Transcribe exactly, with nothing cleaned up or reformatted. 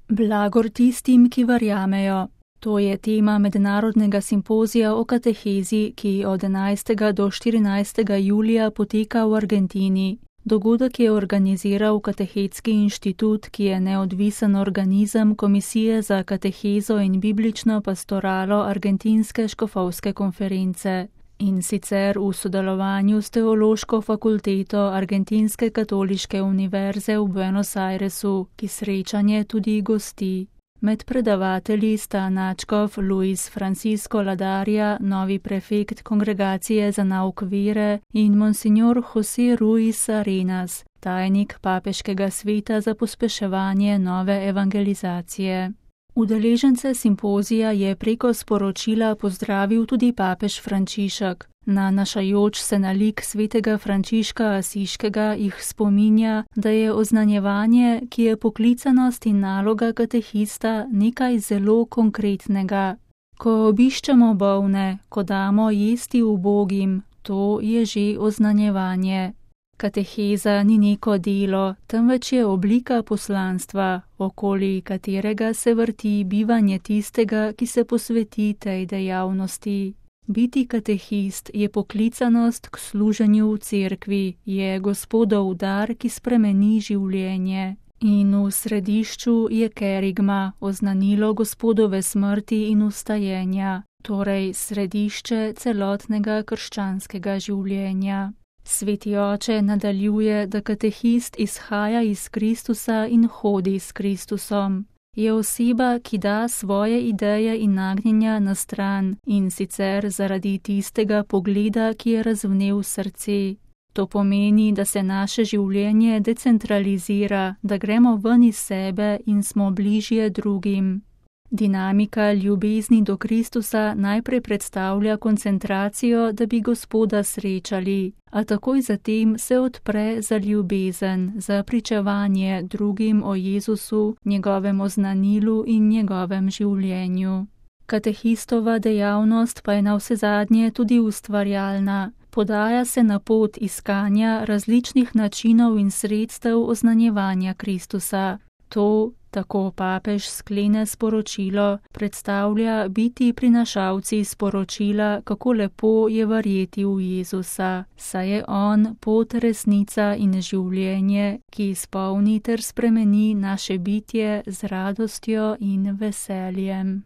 Blagor tistim, ki verjamejo. To je tema mednarodnega simpozija o katehezi, ki od enajstega do štirinajstega julija poteka v Argentini. Dogodek je organiziral Katehetski inštitut, ki je neodvisen organizem Komisije za katehezo in biblično pastoralo Argentinske škofovske konference. In sicer v sodelovanju s Teološko fakulteto Argentinske katoliške univerze v Buenos Airesu, ki srečanje tudi gosti. Med predavatelji sta nadškof Luis Francisco Ladaria, novi prefekt Kongregacije za nauk vere, in monsignor José Ruiz Arenas, tajnik Papeškega sveta za pospeševanje nove evangelizacije. Udeležence simpozija je preko sporočila pozdravil tudi papež Frančišek. Nanašajoč se na lik svetega Frančiška Asiškega jih spominja, da je oznanjevanje, ki je poklicanost in naloga katehista, nekaj zelo konkretnega. Ko obiščemo bolne, ko damo jesti ubogim, to je že oznanjevanje. Kateheza ni neko delo, temveč je oblika poslanstva, okoli katerega se vrti bivanje tistega, ki se posveti tej dejavnosti. Biti katehist je poklicanost k služenju v cerkvi, je Gospodov dar, ki spremeni življenje. In v središču je kerigma, oznanilo Gospodove smrti in vstajenja, torej središče celotnega krščanskega življenja. Sveti oče nadaljuje, da katehist izhaja iz Kristusa in hodi s Kristusom. Je oseba, ki da svoje ideje in nagnjenja na stran, in sicer zaradi tistega pogleda, ki je razvnel srce. To pomeni, da se naše življenje decentralizira, da gremo ven iz sebe in smo bližje drugim. Dinamika ljubezni do Kristusa najprej predstavlja koncentracijo, da bi Gospoda srečali, a takoj zatem se odpre za ljubezen, za pričevanje drugim o Jezusu, njegovem oznanilu in njegovem življenju. Katehistova dejavnost pa je navsezadnje tudi ustvarjalna. Podaja se na pot iskanja različnih načinov in sredstev oznanjevanja Kristusa. To, tako papež sklene sporočilo, predstavlja biti prinašalci sporočila, kako lepo je verjeti v Jezusa, saj je on pot, resnica in življenje, ki izpolni ter spremeni naše bitje z radostjo in veseljem.